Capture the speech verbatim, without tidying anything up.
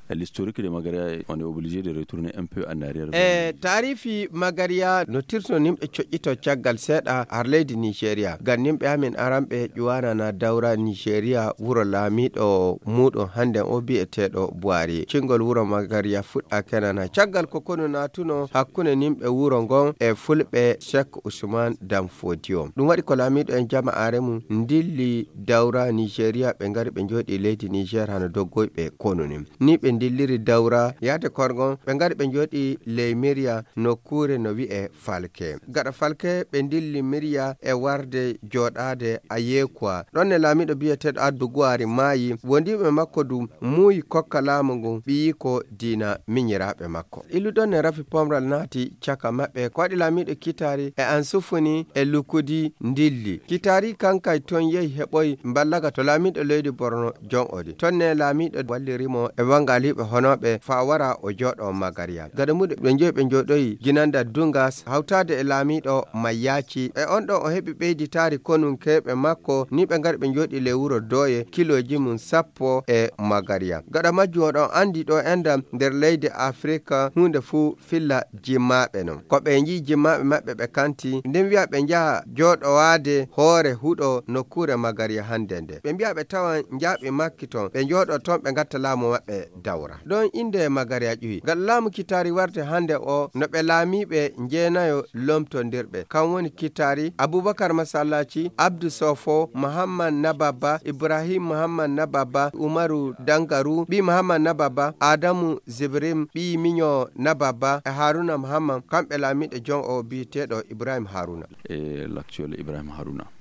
L'historique de Magaria, on est obligé de retourner un peu en arrière. E taarifi Magaria no tirto nimɓe coƴƴito caggal seeɗa har leydi Nigeria. Ngam nimɓe amin aranɓe ƴuwanana dawra Nigeria wuro laamiiɗo muuɗum hannden o bi'eteeɗo Buhari. Cingol wuro Magaria fuɗɗa kenana caggal ko konu naatuno hakkunde nimɓe wuro ngon e fulɓe Sheikh Usman Dan Fodio. Ɗum waɗi ko laamiiɗo en jama'aare mum ndilli dawra Nigeria, ɓe ngari ɓe njooɗi leydi Niger hano doggoyɓe konu ni. Ni ɓe ndilliri dawra yaade korgon, ɓe ngari ɓe njooɗi ley Miriya nokkuure no wi'e Falke. Gaɗa Falke ɓe ndilli Miriya e warde jooɗaade Ayekwa. Ɗon ne laamiiɗo bi'eteeɗo Addu Guwari maayi, wondiiɓe makko du muuyi kokka laamu ngun ɓiyiiko diina miñiraaɓe makko. Illuɗon ne rafi pomral naati caka maɓɓe. Ko waɗi laamiiɗo Kitaari e Ansufuni e Lukudi ndilli. Kitaari kankay ton yehi heɓoy mballaga to laamiiɗo leydi Borno jon odi. Ton ne laamiiɗo walliri mo e wangaliiɓe honooɓe faa wara o jooɗo Magariya. Gada muɗum ɓe njehi ɓe njooɗoyi ginanda Dungas hawtaade e laamiiɗo Mayyaaci. E on ɗon o heɓi ɓeyditaari konunkeeɓe makko, ni ɓe ngari ɓe njooɗi ley wuro Dooye, kilooji mum sappo e Magariya. Gaɗa majjum oɗon anndi ɗo enɗam nder leydi Afirika huunde fuu filla jimmaaɓe non. Ko ɓe njii jimmaaɓe maɓɓe ɓe kanti, nden wi'a ɓe njaha jooɗowaade hoore huɗo nokkuure Magariya hannde nde. Ɓe mbi'a ɓe tawan njaaɓi makki ton, ɓe njooɗo ton ɓe ngatta laamu maɓɓe dawra. Ɗon innde Magariya ƴuwi. Gaɗa laamu Kitaari warde hannde o no ɓe laamiiɓe njeenayo lomtondirɓe. Kan woni Kitaari, Abubakar Masallaci, Abdu Sofo, Muhammad Nababba, Ibrahim Muhammad Nababba, Umaru Dangaru, ɓii Muhammad Nababba, Adamu Zibrim, ɓii Miño Nababba, e Haruna Muhammad, kamɓe laamiiɗo jon o bi'eteeɗo Ibrahim Haruna. E l'actuel Ibrahim Haruna.